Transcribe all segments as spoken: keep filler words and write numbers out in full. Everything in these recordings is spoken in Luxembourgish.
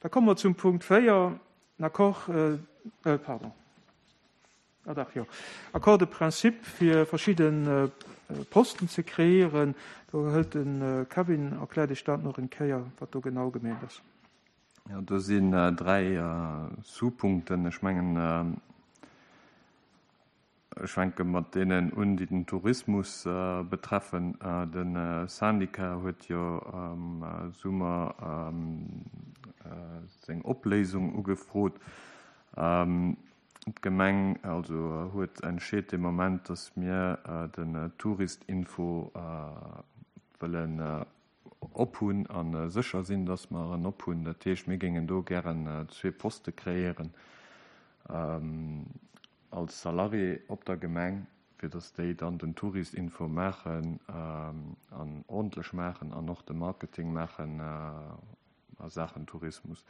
Da komme mer zum Punkt véier, en Accord, äh, pardon, ah dach, jo, Accord de principe fir verschidde Posten ze kreéieren. Do hëlt de Kevin, erkläert Iech dat nach eng Kéier, wat do genau gemeent ass. Jo, do sinn dräi Sous-Punkten. Ech mengen, ech fänke mat deenen un, déi den Tourismus betreffen. De Syndicat huet jo am Summer seng Opléisung ugefrot. D'Gemeng also huet entscheet de Moment, datt mir den Touristinfo wëllen ophunn a sécher sinn, datt mer en ophunn. Dat heescht, mir géingen do gären zwee Poste kreéieren als Salarié op der Gemeng, fir datt déi dann den Touristinfo maachen an ordentlech maachen an och de Marketing maachen a Saachen Tourismus.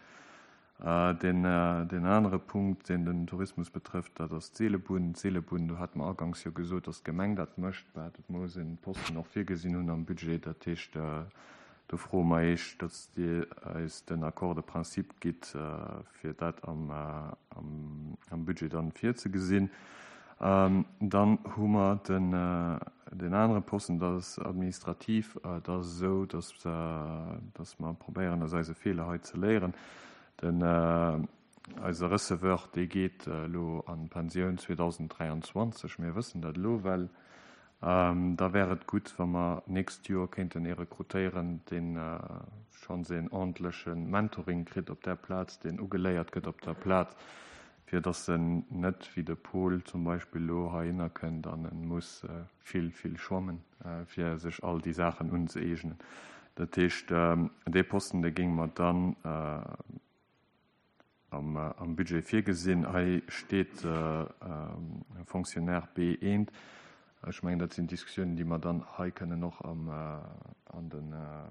Deen, deen anere Punkt, deen den Tourismus betrëfft, dat ass d'Seelebunn. D'Seelebunn, do hate mer aganks jo gesot, datt d'Gemeng dat mécht. Bah, dat muss een Posten och virgesinn hunn am Budget. Dat heescht, do froe mer Iech, datt Dir eis den Accord de principe gitt, fir dat am, am, am Budget dann virzegesinn. Dann hu mer den, den anere Posten, dat ass administrativ. Dat ass esou, datt, datt mer probéieren, aus eise Feeler hei ze léieren. Den eise Receveur, dee geet elo an d'Pensioun zweedausenddräianzwanzeg. Mir wëssen dat elo well. Da wär et gutt, wa mer nächst Joer kéinten ee rekrutéieren, deen schonns een ordentleche Mentoring kritt op där Plaz, deen ugeléiert gëtt op der Plaz, fir datt en net wéi de Paul zum Beispill elo heihinner kënnt an e muss vill, vill schwammen, fir sech all déi Saachen unzëeegnen. Dat heescht, dee Posten, dee géinge mer dann am, am Budget virgesinn. Hei steet Fonctionnaire B eent. Ech mengen, dat sinn Diskussiounen, déi mer dann hei kënnen och am, an de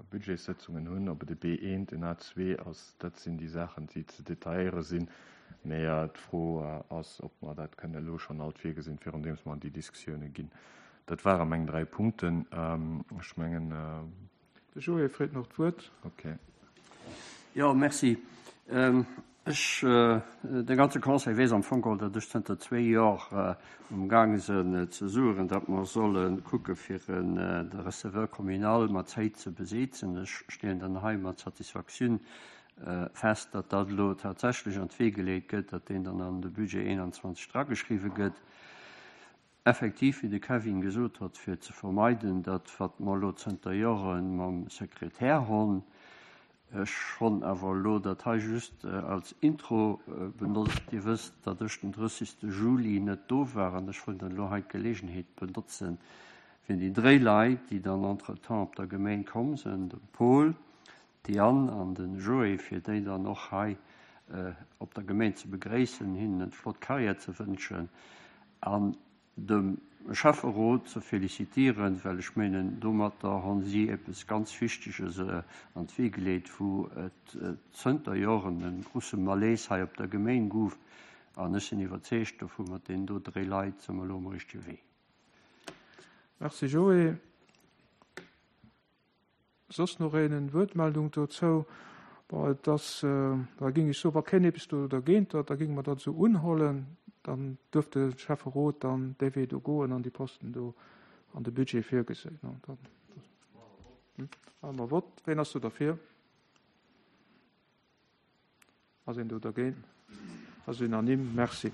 Budgetssëtzungen hunn, ob et e B eent, en A zwee ass. Dat sinn déi Saachen, déi ze detailléiere sinn. Mee d'Fro ass, ob mer dat kënnen elo schonn alt virgesinn, virun deems mer an déi Diskussioune ginn. Dat ware meng dräi Punkten. Ech mengen. De Joé freet nach d'Wuert. Okay. Jo, merci. Ech, de ganze Conseil weess am Fong geholl, datt ech zënter zwee Jor umgaange sinn ze sueren, datt mer solle kucke fir de Receveur communal mat Zäit ze besetzen. Ech stellen dann hei mat Satisfaktioun fest, datt dat elo tatsächlech an d'Wee geleet gëtt, datt deen dann an de Budget eenanzwanzeg drageschriwwe gëtt. Effektiv, wéi de Kevin gesot huet, fir ze vermeiden, datt wat mer elo zënter Jore mam Sekretär hunn. Ech honn awer elo dat hei just als Intro benotzt. Dir wësst, datt ech den drëssigste Juli net do war an ech wollt dann elo hei d'Gelegenheet benotzen, fir déi dréi Leit, déi dann entretemps op der Gemeng komm sinn, de Paul, d'Diane an de Joé, fir déi dann och hei op der Gemeng ze begréissen, hinnen eng flott Karriär ze wënschen an dem Schäfferot ze felicitieren, well ech mengen, domatter hunn si eppes ganz Wichteges an d'Wee geleet, wou et zënter Joren e grousse Malaise hei op der Gemeng gouf. An ech sinn iwwerzeegt dovu, mat deenen do dräi Leit si mer elo um richtege Wee. Merci Joé. Soss nach een Wuertmeldung dozou? Bon, et ass, da géing ech soen, wa keen eppes do dergéint huet, da géinge mer dat esou unhuelen. Dann duerft de Schäfferot dann dee Wee do goen an déi Posten do an de Budget virgesinn. Dann maache mer Vott. Ween ass do derfir? Ass een do dergéint? Ass unanime. Merci.